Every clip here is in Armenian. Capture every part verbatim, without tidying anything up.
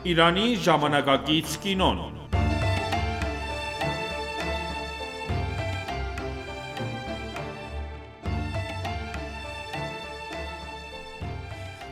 Իրանի ժամանակակից կինոն։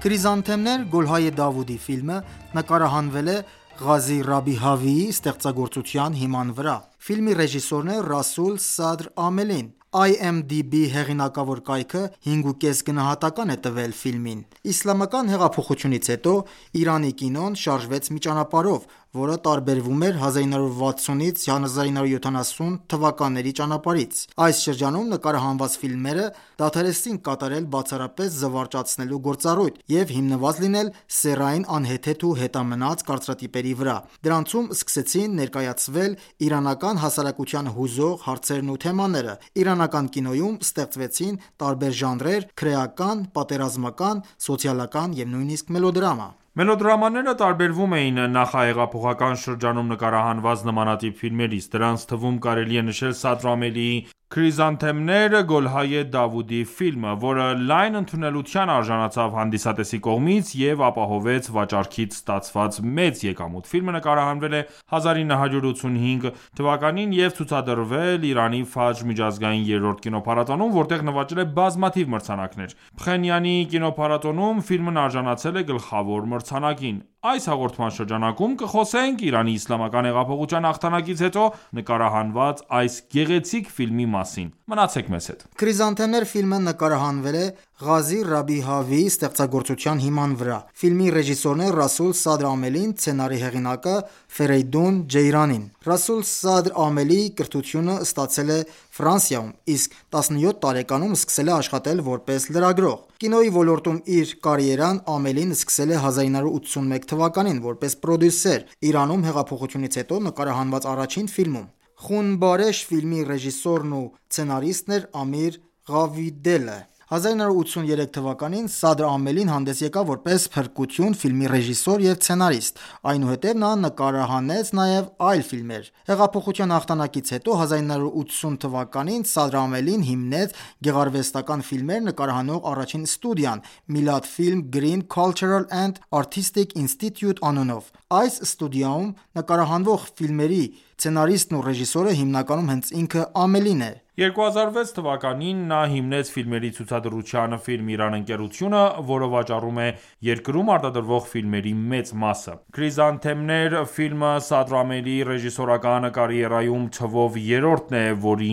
«Քրիզանթեմներ» Գոլհայե Դավուդի ֆիլմը նկարահանվել է Ղազի Ռաբիհավիի ստեղծագործության հիման վրա։ Ֆիլմի ռեժիսորն է Ռասուլ Սադր Ամելին։ I M D B հեղինակավոր կայքը հինգ ու կես գնահատական է տվել ֆիլմին։ Իսլամական հեղափոխությունից հետո Իրանի կինոն շարժվեց մի ճանապարհով, որը տարբերվում էր հազար ինը հարյուր վաթսունից հազար ինը հարյուր յոթանասուն թվականների ճանապարհից։ Այս շրջանում նկարահանված ֆիլմերը դադարեցին կատարել բացառապես զվարճացնելու գործառույթ և հիմնված լինել սեռային անհեթեթ ու հետամնաց կարծրատիպերի վրա։ Դրանցում սկսեցին ներկայացվել իրանական հասարակությանը հուզող հարցերն ու թեմաները։ Իրանական կինոյում ստեղծվեցին տարբեր ժանրեր՝ քրեական, պատերազմական, սոցիալական և նույնիսկ մելոդրամա։ Մելոդրամաները տարբերվում էին նախահեղափոխական շրջանում նկարահանված նմանատիպ ֆիլմերից։ Դրանց թվում կարելի է նշել Սադր Ամելիի «Քրիզանթեմներ» Գոլհայե Դավուդի ֆիլմը, որը լայն ընդունելության արժանացավ հանդիսատեսի կողմից և ապահովեց վաճառքից ստացված մեծ եկամուտ։ Ֆիլմը նկարահանվել է հազար ինը հարյուր ութսունհինգ թվականին և ցուցադրվել Իրանի Ֆաջր միջազգային երրորդ կինոփառատոնում, որտեղ նվաճել է բազմաթիվ մրցանակներ։ Փխենյանի կինոփառատոնում ֆիլմն արժանացել է գլխավոր մրցանակին։ Այս հաղորդման շրջանակում կխոսենք Իրանի իսլամական հեղափոխության հաղթանակից հետո նկարահանված այս գեղեցիկ ֆիլմի մասին։ Մնացեք մեզ հետ։ «Քրիզանթեմներ» ֆիլմը նկարահանվել է Ղազի Ռաբիհավիի ստեղծագործության հիման վրա։ Ֆիլմի ռեժիսորն է Ռասուլ Սադր Ամելին, սցենարի հեղինակը Ֆերեյդուն Ջեյրանին։ Ռասուլ Սադր Ամելիի կրթությունը ստացել է Ֆրանսիայում, իսկ տասնյոթ տարեկանում սկսել է աշխատել որպես լրագրող։ Կինոյի ոլորտում իր կարիերան Ամելին սկսել է հազար ինը հարյուր ութսունմեկ թվականին որպես պրոդյուսեր Իրանում հեղափոխությունից հետո նկարահանված առաջին ֆիլմում։ «Խուն Բարեշ» ֆիլմի ռեժիսորն ու սցենարիստն էր Ամիր Ղավիդելը։ հազար ինը հարյուր ութսուներեք թվականին Սադր Ամելին հանդես եկավ որպես փրկություն ֆիլմի ռեժիսոր և սցենարիստ։ Այնուհետև նա նկարահանեց նաև այլ ֆիլմեր։ Հեղափոխության հաղթանակից հետո հազար ինը հարյուր ութսուն թվականին Սադր Ամելին հիմնեց գեղարվեստական ֆիլմեր նկարահանող առաջին ստուդիան Milad Film Green Cultural and Artistic Institute անունով։ Այս ստուդիայում նկարահանվող ֆիլմերի սցենարիստն ու ռեժիսորը հիմնականում հենց ինքը Ամելին է։ երկու հազար վեց թվականին նա հիմնեց ֆիլմերի ցուցադրության «Ֆիլմ Իրան» ընկերությունը, որը վաճառում է երկրում արտադրվող ֆիլմերի մեծ մասը։ «Քրիզանթեմներ» ֆիլմը Սադր Ամելիի ռեժիսորական կարիերայում թվով երրորդն է, որի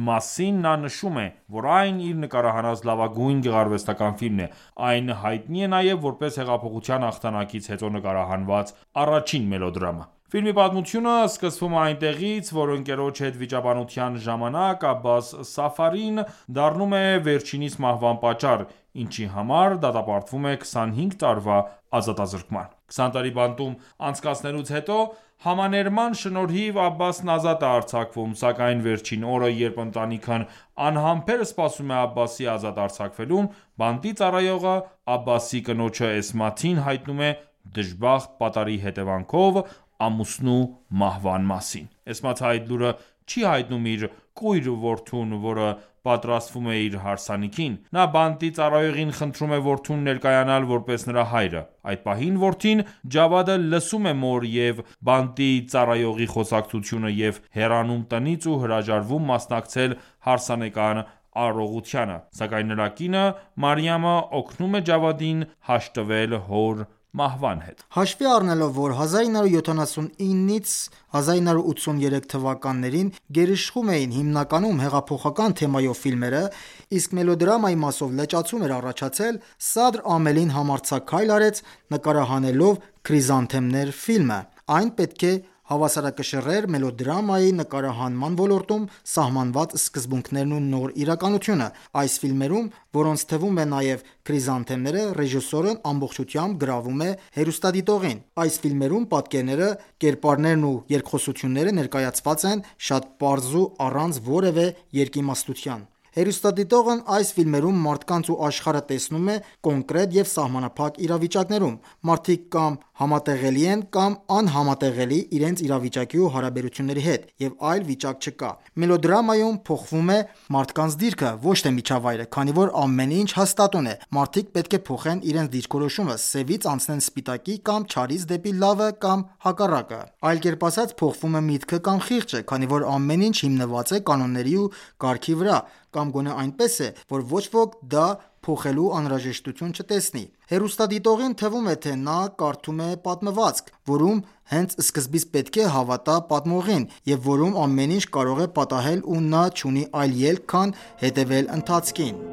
մասին նա նշում է, որ այն իր նկարահանած լավագույն գեղարվեստական ֆիլմն է։ Այն հայտնի է նաև որպես հեղափոխության հաղթանակից հետո նկարահանված առաջին մելոդրամա։ Ֆիլմի պատմությունը սկսվում է այնտեղից, որ ընկերոջ հետ վիճաբանության ժամանակ Աբբաս Սաֆարին դառնում է վերջինիս մահվան պատճառ, ինչի համար դատապարտվում է քսանհինգ տարվա ազատազրկման։ քսան տարի բանտում անցկացնելուց հետո համաներման շնորհիվ Աբբասն ազատ է արձակվում, սակայն վերջին օրը, երբ ընտանիքն անհամբեր սպասում է Աբբասի ազատ արձակվելուն, բանտի ծառայողը Աբբասի կնոջը Էսմաթին հայտնում է դժբախտ պատարի հետևանքով ամուսնու մահվան մասին։ Էսմաթը այդ լուրը չի հայտնում իր կույր որդուն, որը պատրաստվում է իր հարսանիքին։ Նա բանտի ծառայողին խնդրում է որդուն ներկայանալ որպես նրա հայրը։ Այդ պահին որդին Ջավադը լսում է մոր և բանտի ծառայողի խոսակցությունը և հեռանում տնից ու հրաժարվում մասնակցել հարսանեկան արարողությանը, սակայն նրա կինը Մարիամը օգնում է Ջավադին հաշտվել հոր մահվան հետ։ Հաշվի առնելով, որ հազար ինը հարյուր յոթանասունինից հազար ինը հարյուր ութսուներեք թվականներին գերիշխում էին հիմնականում հեղափոխական թեմայով ֆիլմերը, իսկ մելոդրամայի մասով լճացում էր առաջացել, Սադր Ամելին համարձակ քայլ արեց նկարահանելով «Քրիզանթեմներ» ֆիլմը։ Այն պետք է հավասարակշռեր մելոդրամայի նկարահանման ոլորտում սահմանված սկզբունքներն ու նոր իրականությունը։ Այս ֆիլմերում, որոնց թվում է նաև «Քրիզանթեմները», ռեժիսորն ամբողջությամբ գրավում է հեռուստադիտողին։ Այս ֆիլմերում պատկերները, կերպարներն ու երկխոսությունները ներկայացված են շատ պարզ ու առանց որևէ երկիմաստության։ Հեռուստադիտողն այս ֆիլմերում մարդկանց ու աշխարհը տեսնում է կոնկրետ և սահմանափակ իրավիճակներում։ Մարդիկ կամ համատեղելի են կամ անհամատեղելի իրենց իրավիճակի ու հարաբերությունների հետ, և այլ վիճակ չկա։ Մելոդրամայում փոխվում է մարդկանց դիրքը, ոչ թե միջավայրը, քանի որ ամեն ինչ հաստատուն է։ Մարդիկ պետք է փոխեն իրենց դիրքորոշումը, սևից անցնեն սպիտակի կամ չարից դեպի լավը կամ հակառակը։ Այլ կերպ ասած, փոխվում է միտքը կամ խիղճը, քանի որ ամեն ինչ հիմնված է կանոնների ու կարգի վրա, կամ գոնե այնպես է, որ ոչ ոք դա փոխելու անհրաժեշտություն չտեսնի։ Հեռուստադիտողին թվում է, թե նա կարդում է պատմվածք, որում հենց սկզբից պետք է հավատա պատմողին, և որում ամեն ինչ կարող է պատահել ու նա չունի այլ ելք, քան հետևել ընթացքին։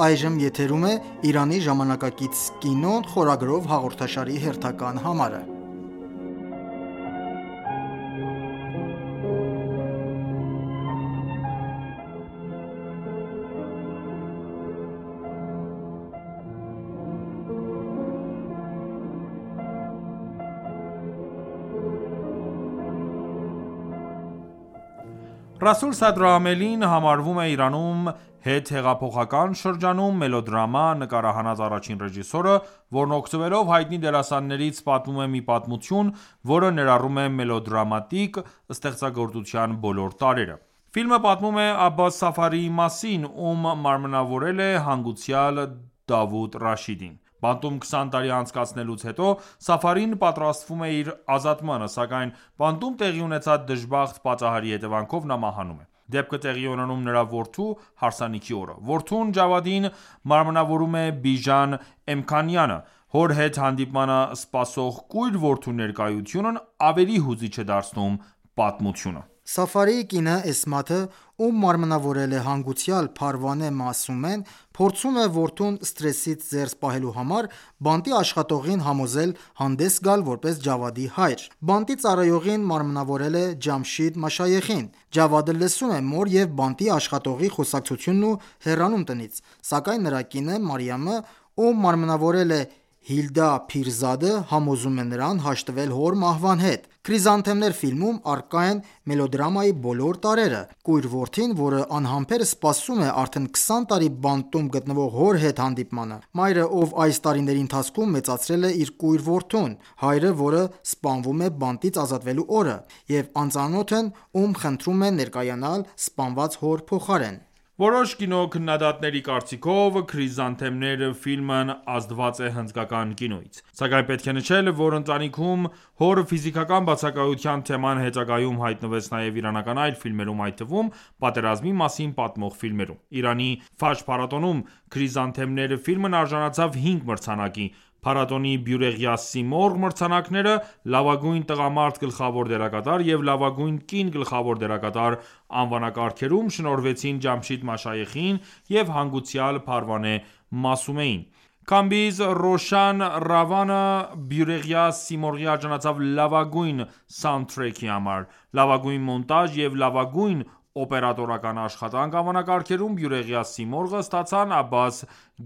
Այժմ եթերում է «Իրանի ժամանակակից կինոն» խորագրով հաղորդաշարի հերթական համարը։ Ռասուլ Սադրամելին համարվում է Իրանում հետհեղափոխական շրջանում մելոդրամա նկարահանած առաջին ռեժիսորը, որն օգտվելով հայտնի դերասաններից պատմում է մի պատմություն, որը ներառում է մելոդրամատիկ ստեղծագործության բոլոր տարրերը։ Ֆիլմը պատմում է Աբբաս Սաֆարիի մասին, ում մարմնավորել է հանգուցյալ Դավուդ Ռաշիդին։ Բանտում քսան տարի անցկացնելուց հետո Սաֆարին պատրաստվում է իր ազատմանը, սակայն բանտում տեղի ունեցած դժբախտ պատահարի հետևանքով նա մահանում է։ Դեպքը տեղի ունենում նրա որդու հարսանիքի օրը։ Որդուն Ջավադին մարմնավորում է Բիժան Էմքանյանը։ Հոր հետ հանդիպմանը սպասող կույր որդու ներկայությունն ավելի հուզիչ է դարձնում պատմությունը։ Սաֆարիի կինը Էսմաթը, ում մարմնավորել է հանգուցյալ Փարվանե Մասումեն, փորձում է որդուն սթրեսից զերծ պահելու համար բանտի աշխատողին համոզել հանդես գալ որպես Ջավադի հայր։ Բանտի ծառայողին մարմնավորել է Ջամշիդ Մաշայեխին։ Ջավադը լսում է մոր և բանտի աշխատողի խոսակցությունն ու հեռանում տնից, սակայն նրա կինը Մարիամը, ում մարմնավորել է Հիլդա Փիրզադը, համոզում է նրան հաշտվել հոր մահվան հետ։ Քրիզանթեմներ ֆիլմում առկա են մելոդրամայի բոլոր տարրերը։ Կույր որդին, որը անհամբեր սպասում է արդեն քսան տարի բանտում գտնվող հոր հետ հանդիպմանը։ Մայրը, ով այս տարիների ընթացքում մեծացրել է իր կույր որդուն։ Հայրը, որը սպանվում է բանտից ազատվելու օրը, և անծանոթն, ում խնդրում է ներկայանալ սպանված հոր փոխարեն։ Որոշ կինոքննադատների կարծիքով «Քրիզանթեմներ» ֆիլմն ազդված է հնդկական կինոյից։ Սակայն պետք է նշել, որ ընտանիքում հոր ֆիզիկական բացակայության թեման հետագայում հայտնվեց նաև իրանական այլ ֆիլմերում, այդ թվում պատերազմի մասին պատմող ֆիլմերում։ Իրանի Ֆաջր փառատոնում «Քրիզանթեմներ» ֆիլմն արժանացավ հինգ մրցանակի։ Փառատոնի Բյուրեղյա Սիմորղ մրցանակները «Լավագույն տղամարդ գլխավոր դերակատար» և «Լավագույն կին գլխավոր դերակատար» անվանակարգերում շնորհվեցին Ջամշիդ Մաշայեխին և հանգուցյալ Փարվանե Մասումեին։ Քամբիզ Ռոշան Ռավանը Բյուրեղյա Սիմորղի արժանացավ լավագույն սաունդթրեքի համար։ Լավագույն մոնտաժ և լավագույն օպերատորական աշխատանք անվանակարգերում Բյուրեղյա Սիմորղը ստացան Աբբաս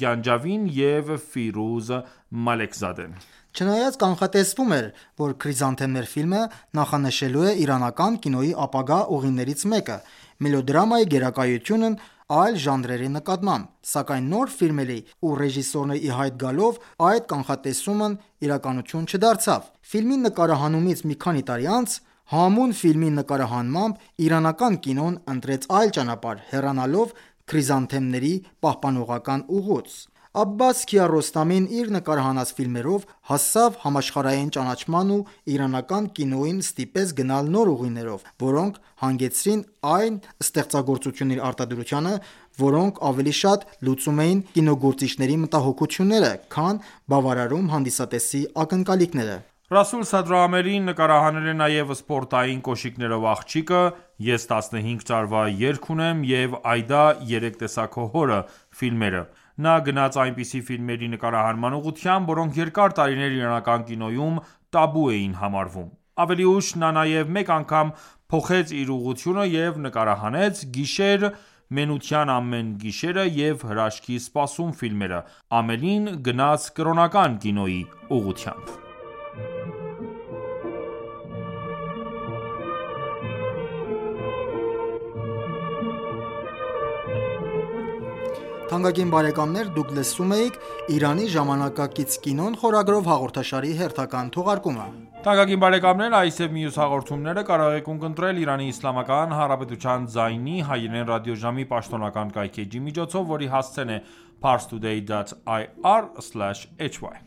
Գանջավին և Ֆիրուզ Մալեքզադեն։ Չնայած կանխատեսվում էր, որ «Քրիզանթեմներ» ֆիլմը նախանշելու է իրանական կինոյի ապագա ուղիներից մեկը՝ մելոդրամայի գերակայությունն այլ ժանրերի նկատմամբ, սակայն նոր ֆիլմերի ու ռեժիսորների ի հայտ գալով այդ կանխատեսումն իրականություն չդարձավ։ Ֆիլմի նկարահանումից մի քանի տարի անց «Համուն» ֆիլմի նկարահանմամբ իրանական կինոն ընտրեց այլ ճանապարհ՝ հեռանալով «Քրիզանթեմների» պահպանողական ուղուց։ Աբբաս Քիարոստամին իր նկարահանած ֆիլմերով հասավ համաշխարհային ճանաչման ու իրանական կինոյին ստիպեց գնալ նոր ուղիներով, որոնք հանգեցրին այն ստեղծագործությունների արտադրությանը, որոնք ավելի շատ լուծում էին կինոգործիչների մտահոգությունները, քան բավարարում հանդիսատեսի ակնկալիքները։ Ռասուլ Սադրամելին նկարահանել է նաև «Սպորտային կոշիկներով աղջիկը», «Ես տասնհինգ տարվա երգ ունեմ» և «Այդա երեք տեսա քո հորը» ֆիլմերը։ Նա գնաց այնպիսի ֆիլմերի նկարահանման ուղղությամբ, որոնք երկար տարիներ իրանական կինոյում տաբու էին համարվում։ Ավելի ուշ նա նաև մեկ անգամ փոխեց իր ուղղությունը և նկարահանեց «Գիշեր Մենության ամեն գիշերը և Հրաշքի սպասում ֆիլմերը։ Ամելին գնաց կրոնական կինոյի ուղղությամբ։ Թանկագին բարեկամներ, դուք լսում էիք «Իրանի ժամանակակից կինոն» խորագրով հաղորդաշարի հերթական թողարկումը։ Թանկագին բարեկամներ, այս և մյուս հաղորդումները կարող եք ունկնդրել Իրանի Իսլամական Հանրապետության ձայնի հայերեն ռադիոժամի պաշտոնական կայքէջի միջոցով, որի հասցեն է parstoday dot ir slash hy